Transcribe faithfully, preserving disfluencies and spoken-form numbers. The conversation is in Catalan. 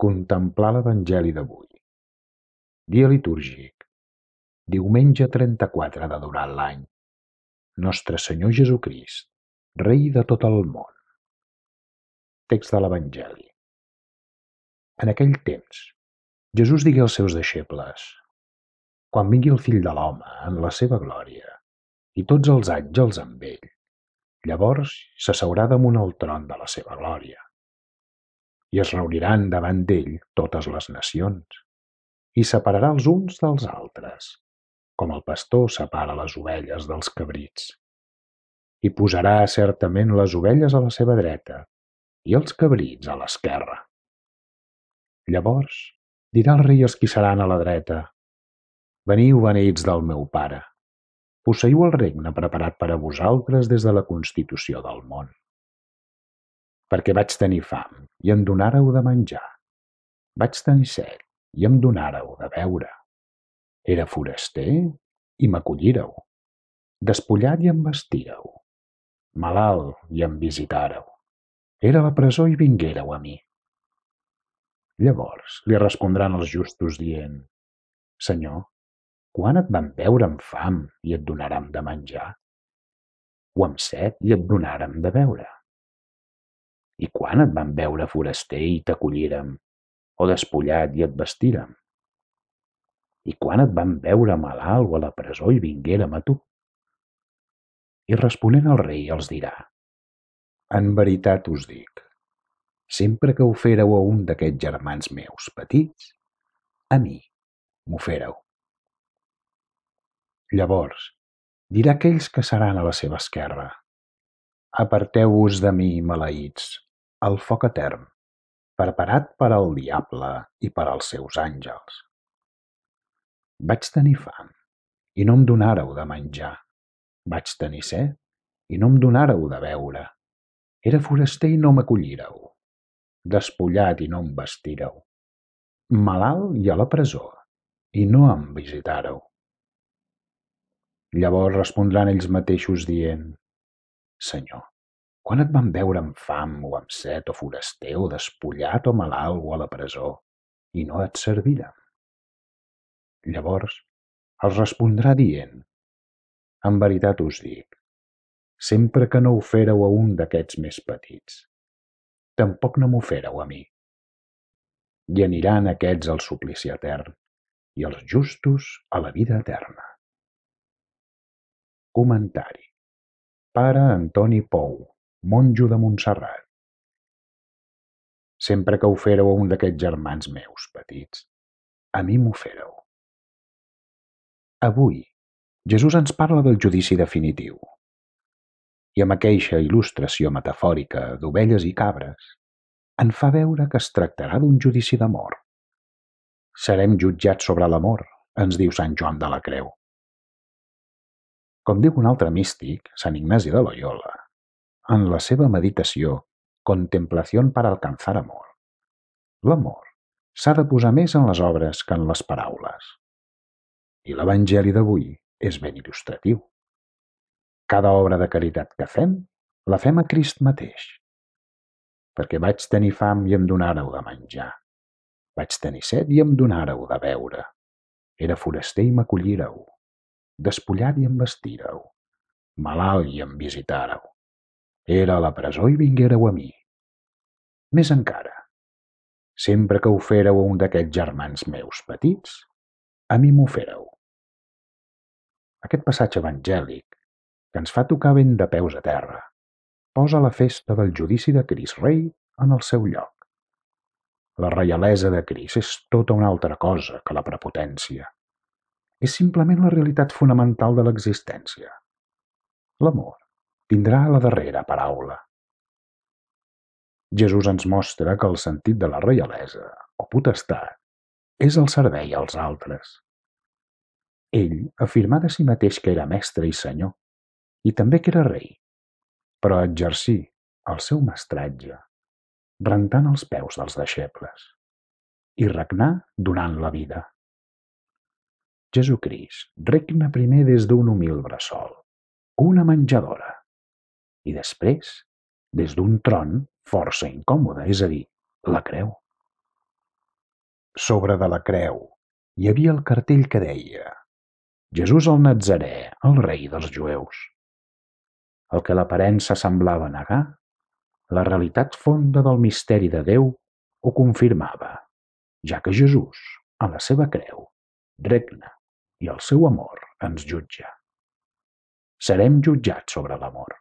Contemplar l'Evangeli d'avui. Dia litúrgic. Diumenge trenta-quatre de durant l'any. Nostre Senyor Jesucrist, Rei de tot el món. Text de l'Evangeli. En aquell temps, Jesús digué als seus deixebles: Quan vingui el Fill de l'home en la seva glòria, i tots els àngels amb ell, llavors s'asseurà damunt el tron de la seva glòria. I es reuniran davant d'ell totes les nacions, i separarà els uns dels altres, com el pastor separa les ovelles dels cabrits. I posarà certament les ovelles a la seva dreta i els cabrits a l'esquerra. Llavors dirà el rei als qui seran a la dreta: Veniu, beneïts del meu Pare, posseiu el regne preparat per a vosaltres des de la constitució del món. Perquè vaig tenir fam i em donàreu de menjar, vaig tenir set i em donàreu de beure. Era foraster i m'acollíreu, despullat i em vestíreu, malalt i em visitàreu. Era a la presó i vinguéreu a mi. Llavors li respondran els justos dient: Senyor, quan et vam veure amb fam i et donàrem de menjar? O amb set i et donàrem de beure? I quan et vam veure foraster i t'acollírem, o despullat i et vestírem? I quan et vam veure malalt o a la presó i vinguérem a tu? I responent el rei els dirà: En veritat us dic, sempre que ho féreu a un d'aquests germans meus petits, a mi m'ho féreu. Llavors dirà aquells que seran a la seva esquerra: Aparteu-vos de mi, maleïts, al foc etern, preparat per al diable i per als seus àngels. Vaig tenir fam i no em donàreu de menjar, vaig tenir set i no em donàreu de beure. Era foraster i no m'acollíreu, despullat i no em vestíreu, malalt i a la presó i no em visitàreu. Llavors respondran ells mateixos dient: Senyor, quan et vam veure amb fam o amb set o foraster o despullat o malalt o a la presó i no et servirem? Llavors els respondrà dient: En veritat us dic, sempre que no ho féreu a un d'aquests més petits, tampoc no m'ho féreu a mi. I aniran aquests al suplici etern i els justos a la vida eterna. Comentari. Pare Antoni Pou, monjo de Montserrat. Sempre que ho féreu a un d'aquests germans meus petits, a mi m'ho féreu. Avui, Jesús ens parla del judici definitiu. I amb aqueixa il·lustració metafòrica d'ovelles i cabres, en fa veure que es tractarà d'un judici d'amor. Serem jutjats sobre l'amor, ens diu Sant Joan de la Creu. Com diu un altre místic, Sant Ignasi de Loyola, en la seva meditació Contemplación para alcanzar amor, l'amor s'ha de posar més en les obres que en les paraules. I l'Evangeli d'avui és ben il·lustratiu. Cada obra de caritat que fem, la fem a Crist mateix. Perquè vaig tenir fam i em donàreu de menjar, vaig tenir set i em donàreu de beure, era foraster i m'acollíreu, despullat i em vestíreu, malalt i em visitàreu, era a la presó i vinguéreu a mi. Més encara, sempre que ho féreu a un d'aquests germans meus petits, a mi m'ho féreu. Aquest passatge evangèlic, que ens fa tocar ben de peus a terra, posa la festa del judici de Crist Rei en el seu lloc. La reialesa de Crist és tota una altra cosa que la prepotència. És simplement la realitat fonamental de l'existència. L'amor tindrà la darrera paraula. Jesús ens mostra que el sentit de la reialesa, o potestat, és el servei als altres. Ell afirmà de si mateix que era mestre i senyor, i també que era rei, però exercí el seu mestratge rentant els peus dels deixebles i regnar donant la vida. Jesucrist regna primer des d'un humil bressol, una menjadora, i després des d'un tron força incòmode, és a dir, la creu. Sobre de la creu hi havia el cartell que deia Jesús el Natzarè, el rei dels jueus. El que l'aparença semblava negar, la realitat fonda del misteri de Déu ho confirmava, ja que Jesús, a la seva creu, regna i el seu amor ens jutja. Serem jutjats sobre l'amor.